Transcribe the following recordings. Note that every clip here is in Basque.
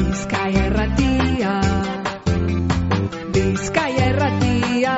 Bizkaia Irratia, Bizkaia Irratia.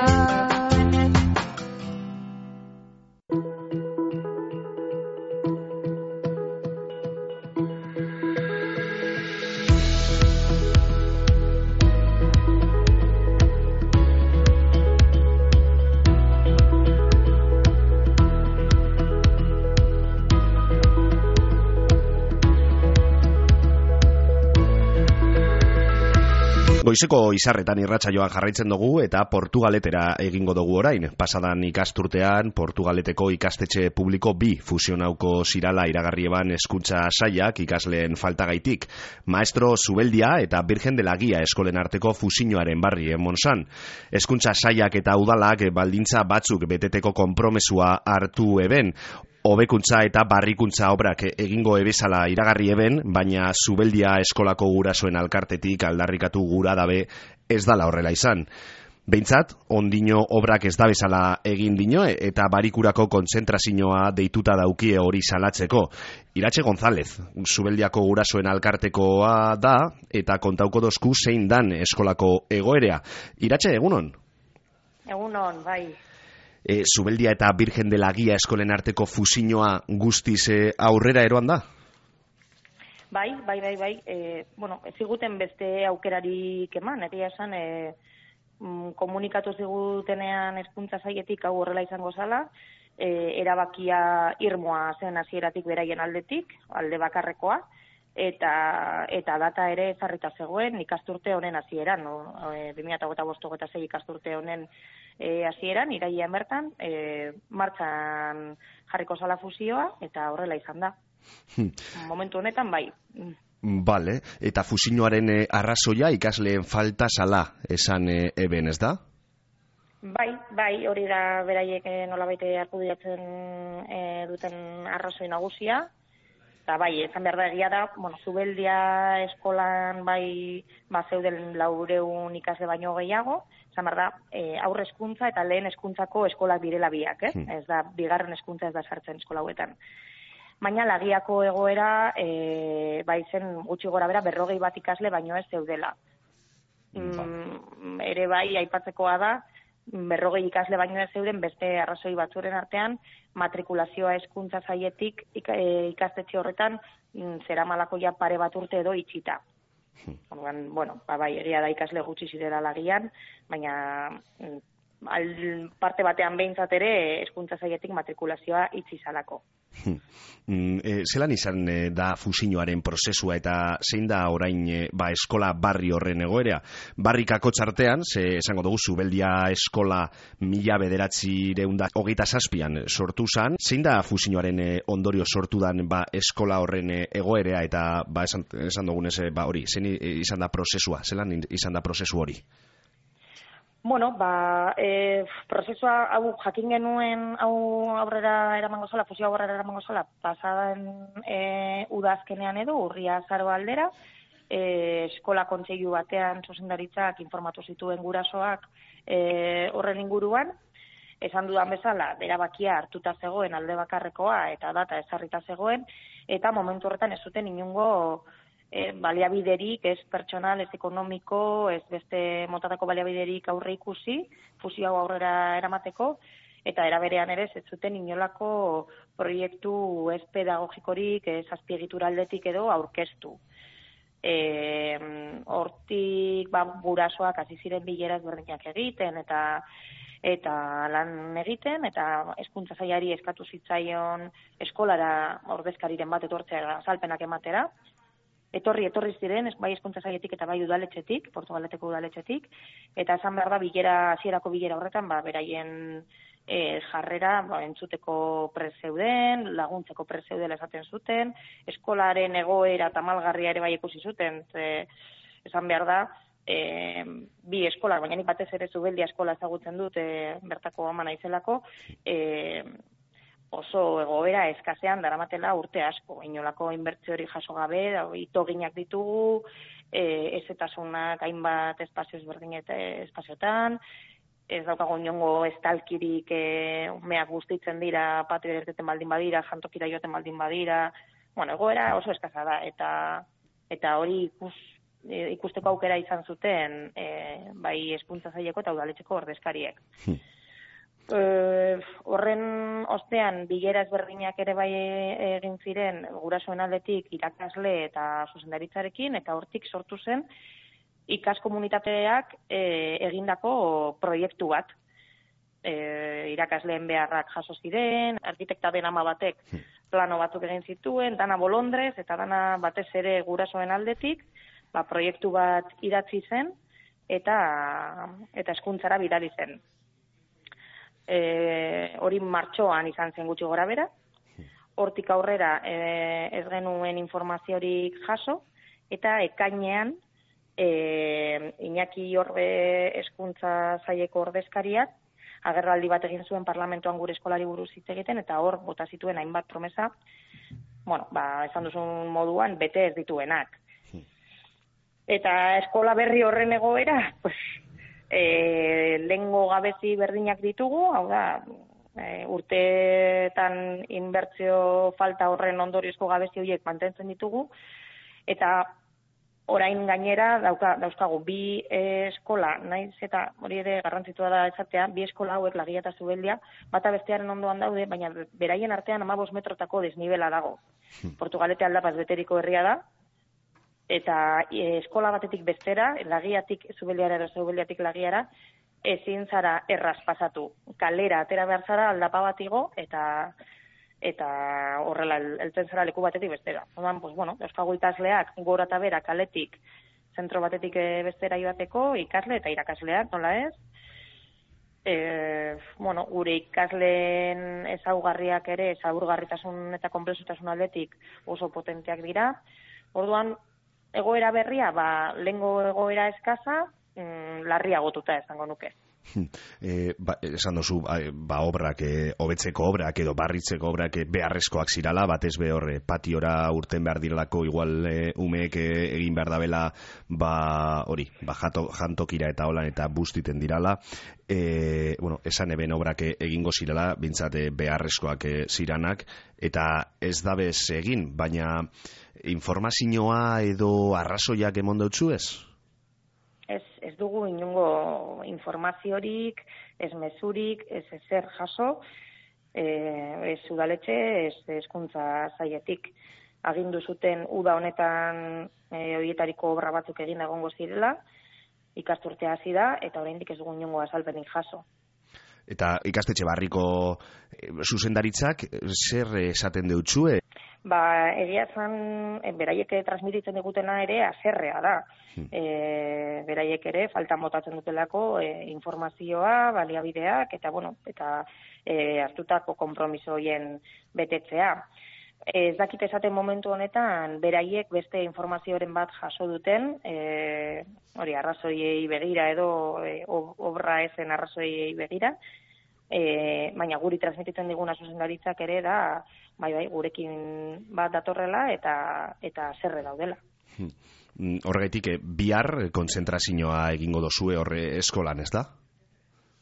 Goizeko izarretan irratsaioan jarraitzen dugu eta Portugaletera egingo dugu orain. Pasadan ikasturtean Portugaleteko ikastetxe publiko 2 fusionauko zirala iragarri eban hezkuntza sailak ikasleen faltagaitik. Maestro Zubeldia eta Virgen de la Guía eskolen arteko fusioaren barri Monsan. Hezkuntza sailak eta udalak baldintza batzuk beteteko konpromesua hartu eben. Hobekuntza eta barrikuntza obrak egingo ebezala iragarri eben, baina Zubeldia eskolako gurasoen alkartetik aldarrikatu gura dabe ez dala horrela izan. Behintzat, ondino obrak ez da bezala egin dino eta barikurako kontzentrazioa deituta daukie hori salatzeko. Iratxe González, Zubeldiako gurasoen alkartekoa da eta kontauko dozku zein dan eskolako egoerea. Iratxe, egunon? Egunon, bai. Zubeldia eta Virgen de la Guía eskolen arteko fusioa guztiz aurrera eroan da? Bai. Bueno, ez ziguten beste aukerarik eman, egia esan, komunikatu zigutenean hezkuntza sailetik hau horrela izango zala, erabakia irmoa zen hasieratik beraien aldetik, alde bakarrekoa, eta data ere ezarrita zegoen ikasturte honen hasieran, 2025-26 ikasturte honen hasieran, irailean bertan, martxan jarriko zala fusioa, eta horrela izan da. Momentu honetan, bai. Bale, eta fusioaren arrazoia ikasleen falta zala esan eben, ez da? Bai, hori da beraiek nolabait argudiatzen duten arrazoi nagusia. Eta bai, esan behar da egia da, Zubeldia eskolan bai zeuden 400 ikasle baino gehiago, esan behar da, aurre hezkuntza eta lehen hezkuntzako eskolak direla biak, ez da, bigarren hezkuntza ez da sartzen eskola hauetan. Baina Lagiako egoera, bai zen gutxi gora bera 41 ikasle baino ez zeudela. Ere bai, aipatzekoa da, 40 ikasle baino ez zeuden beste arrazoi batzuren artean, matrikulazioa hezkuntza sailetik ikastetxe horretan zeramalako ja pare bat urte edo itxita. Bai, egia da ikasle gutxi zirela Lagian, baina parte batean behintzat ere hezkuntza sailetik matrikulazioa itxi zalako. Zelan izan da fusioaren prozesua eta zein da orain eskola barri horren egoera? Barrikako txartean, esango dugu Zubeldia eskola 1927an sortu zan, zein da fusioaren ondorio sortu dan eskola horren egoera eta esan dugunez hori, zein izan da prozesua, zelan izan da prozesu hori? Prozesua hau jakin genuen aurrera eramango zala, fusio aurrera eramango zala, pasadan udazkenean edo, urria azaro aldera, eskola kontseilu batean zuzendaritzak informatu zituen gurasoak horren inguruan, esan dudan bezala, erabakia hartuta zegoen alde bakarrekoa eta data ezarrita zegoen, eta momentu horretan ez zuten inongo baliabiderik, ez pertsonal, ez ekonomiko, ez beste motatako baliabiderik aurre ikusi, fusio hau aurrera eramateko, eta eraberean ere ez zuten inolako proiektu ez pedagogikorik, ez azpiegitura aldetik edo aurkeztu. Hortik gurasoak hasi ziren bilerak berdinak egiten, eta lan egiten, eta hezkuntza sailari eskatu zitzaion eskolara ordezkariren bat etortzea azalpenak ematera. Etorri ziren, bai hezkuntza sailetik eta bai udaletxetik, Portugaleteko udaletxetik, eta esan behar da hasierako bilera horretan, beraien jarrera entzuteko prezeuden, laguntzeko prezeudela esaten zuten, eskolaren egoera tamalgarria ere bai ikusi zuten, esan behar da, bi eskola, baina nik batez ere Zubeldia eskola ezagutzen dut, bertako ama naizelako, oso egoera eskasean daramatela urte asko, inolako inbertsio hori jaso gabe, itoginak ditugu, ezetasunak hainbat espazio espazioetan, ez daukago inongo estalkirik umeak guztitzen dira, patio irteten baldin badira, jantokira joaten baldin badira, egoera oso eskasa da, eta hori ikusteko aukera izan zuten bai hezkuntza saileko eta udaletxeko ordezkariek. Horren ostean bilera ezberdinak ere bai egin ziren gurasoen aldetik irakasle eta zuzendaritzarekin, eta hortik sortu zen ikaskomunitateak egindako proiektu bat. Irakasleen beharrak jaso ziren, arkitekta den ama batek plano batzuk egin zituen, dana bolondrez eta dana batez ere gurasoen aldetik, proiektu bat idatzi zen eta hezkuntzara bidali zen. Hori martxoan izan zen gutxi gora bera, hortik aurrera ez genuen informaziorik jaso, eta ekainean Iñaki Orbe hezkuntza saileko ordezkariak agerraldi bat egin zuen parlamentuan gure eskolari buruz hitz egiten, eta hor bota zituen hainbat promesa, esan duzun moduan, bete ez dituenak. Eta eskola berri horren egoera, lehengo gabezi berdinak ditugu, hau da, urteetan inbertsio falta horren ondoriozko gabezi horiek mantentzen ditugu, eta orain gainera dauzkagu bi eskola, naiz eta hori ere garrantzitsua da esatea, bi eskola hauek Lagia eta Zubeldia, bata bestearen ondoan daude, baina beraien artean 15 metrotako desnibela dago. Portugalete aldapaz beteriko herria da, eta eskola batetik bestera, Lagiatik Zubeldiara edo Zubeldiatik Lagiara, ezin zara erraz pasatu. Kalera atera behar zara aldapa bat igo, eta horrela heltzen zara leku batetik bestera. Orduan, euskago ikasleak gora eta bera kaletik zentro batetik bestera joateko, ikasle eta irakasleak, nola ez? Gure ikasleen ezaugarriak ere, ezaugarritasun eta konplexutasun aldetik oso potenteak dira. Orduan, egoera berria, lehengo egoera eskaza, larriagotuta esango nuke. Esan duzu, obrak, hobetzeko obrak edo barritzeko obrak beharrezkoak zirala, batez be hor patiora urten behar direlako, igual umeek egin behar dabela, jantokira eta holan eta bustiten dirala. Esan eben obrak egingo zirela, bintzat beharrezkoak ziranak, eta ez dabez egin, baina informazioa edo arrazoiak emon dautzu ez? Ez dugu inongo informaziorik, ez mezurik, ez ezer jaso, ez udaletxe, ez hezkuntza sailetik. Agindu zuten uda honetan horietariko obra batzuk egin egongo zirela, ikasturtea hasi da, eta oraindik ez dugu inongo azalpenik jaso. Eta ikastetxe barriko zuzendaritzak zer esaten deutzue? Egia zan, beraiek transmititzen digutena ere haserrea da. Beraiek ere faltan botatzen dutelako informazioa, baliabideak, eta hartutako konpromiso horien betetzea. Ez dakit esaten momentu honetan, beraiek beste informazioaren bat jaso duten, hori arrazoiei begira edo obra ezen arrazoiei begira, baina guri transmititzen diguna zuzendaritzak ere da, gurekin bat datorrela eta zerre daudela. Horregaitik, bihar konzentrazioa egingo dozue horre eskolan, ez da?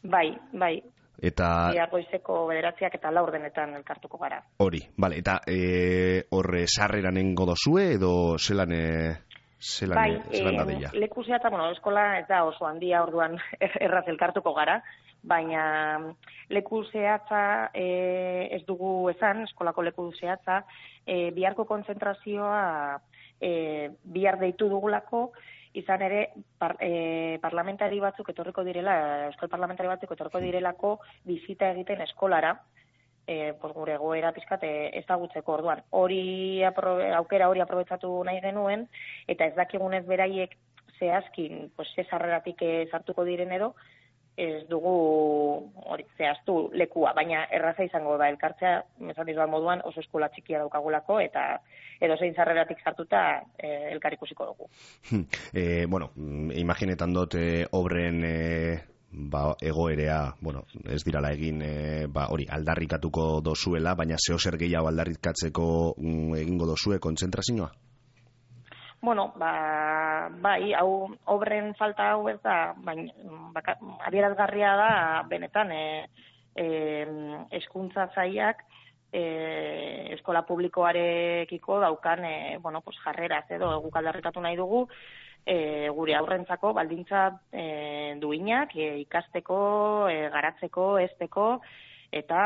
Bai. Eta bihar goizeko 9 eta 4 elkartuko gara. Hori, bale, eta horre sarreran egingo dozue edo zelan da deia? Leku zehatza, eskola ez da oso handia, orduan erraz elkartuko gara, baina leku zehatza ez dugu esan, eskolako leku zehatza, biharko konzentrazioa bihar deitu dugulako, izan ere parlamentari batzuk etorriko direla, euskal parlamentari batzuk etorriko direlako bizita egiten eskolara, gure egoera pizkat ezagutzeko. Orduan, aukera hori aprobetxatu nahi genuen, eta ez dakigunez beraiek zehazkin, ze sarreratik sartuko diren edo, ez dugu zehaztu lekua, baina erraza izango da elkartzea, esan dizuan moduan oso eskola txikia daukagulako, eta edozein sarreratik sartuta elkar ikusiko dugu. Imaginetan dut obren egoerea, ez dirala egin hori aldarrikatuko dozuela, baina zeozer gehiago aldarrikatzeko egingo dozue kontzentrazioa? Bai, obren falta hau ez da, adierazgarria da, benetan, hezkuntza sailak eskola publikoarekiko daukan jarreraz edo guk aldarrikatu nahi dugu, gure aurrentzako baldintza duinak ikasteko, garatzeko, hezteko, eta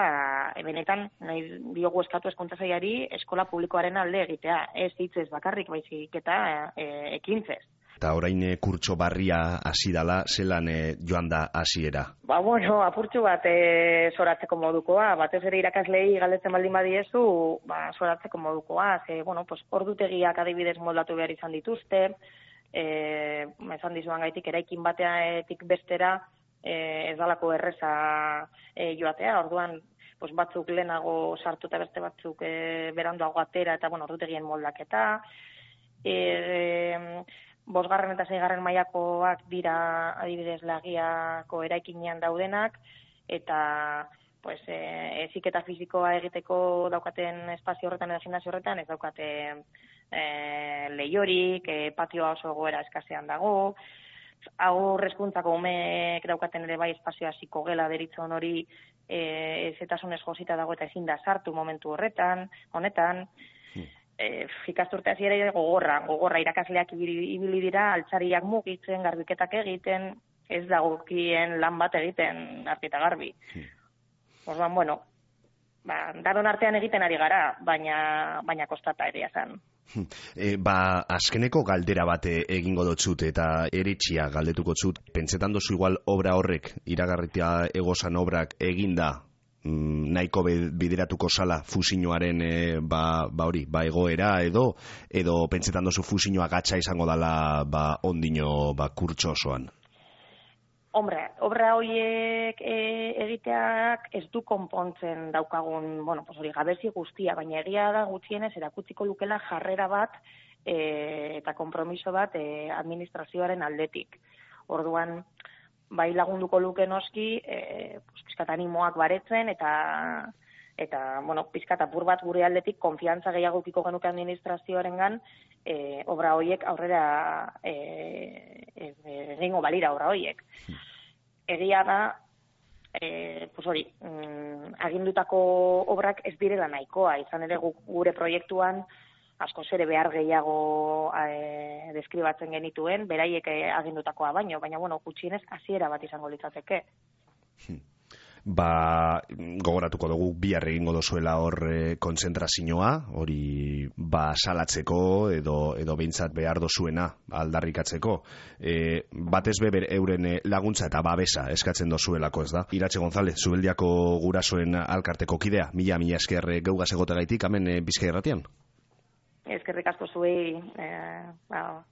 benetan nahi diogu eskatu hezkuntza sailari eskola publikoaren alde egitea, ez hitzez bakarrik baizik eta ekintzez. Eta orain kurtso barria hasi dala, zelan joan da hasiera? Apurtxo bat zoratzeko modukoa, batez ere irakaslei galdetzen baldin badiezu, zoratzeko modukoa, ordutegiak adibidez moldatu behar izan dituzte, esan dizuan gaitik eraikin batetik bestera ez dalako erreza joatea, orduan batzuk lehenago sartu eta beste batzuk beranduago atera eta ordutegien moldaketa. 5. eta 6. mailakoak dira adibidez Lagiako eraikinean daudenak, eta heziketa fisikoa egiteko daukaten espazio horretan edo gimnasio horretan ez daukate lehiorik, patioa oso egoera eskasean dago, haur hezkuntzako umeek daukaten ere bai espazioa psikogela deritzon hori ezetasunez josita dago eta ezin da sartu momentu honetan. Ikasturte hasiera gogorra irakasleak ibili dira, altzariak mugitzen, garbiketak egiten, ez dagokien lan bat egiten argi eta garbi. Orduan, daron artean egiten ari gara, baina kostata ere izan. Azkeneko galdera bat egingo dotzut eta eritxia galdetuko zut. Pentsetan dozu igual obra horrek, iragarritia egozan obrak eginda, nahiko bideratuko sala fusioaren egoera edo pentsetan dozu fusioa gatsa izango dala ondino kurtso osoan? Obra horiek egiteak ez du konpontzen daukagun, gabezi guztia, baina egia da gutxienez erakutsiko lukela jarrera bat eta konpromiso bat administrazioaren aldetik. Orduan, bai lagunduko luke noski, pizkat animoak baretzen eta pizkat apur bat gure aldetik konfiantza gehiago ukiko genuke administrazioarengan obra horiek aurrera egingo balira obra horiek. Egia da, agindutako obrak ez direla nahikoa, izan ere gure proiektuan askoz ere behar gehiago deskribatzen genituen, beraiek agindutakoa baina gutxienez hasiera bat izango litzateke. Gogoratuko dugu bihar egingo dozuela hor kontzentrazioa, hori salatzeko edo behintzat behar dozuena aldarrikatzeko. Batez beber euren laguntza eta babesa eskatzen dozuelako, ez da? Iratxe González, Zubeldiako gurasoen alkarteko kidea, mila esker geugaz egotegaitik, hemen Bizkaia Irratian. Eskerrik asko zuei,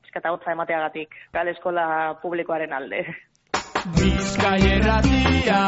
eskata hotza emateagatik, gal eskola publikoaren alde. Bizkaia Irratia.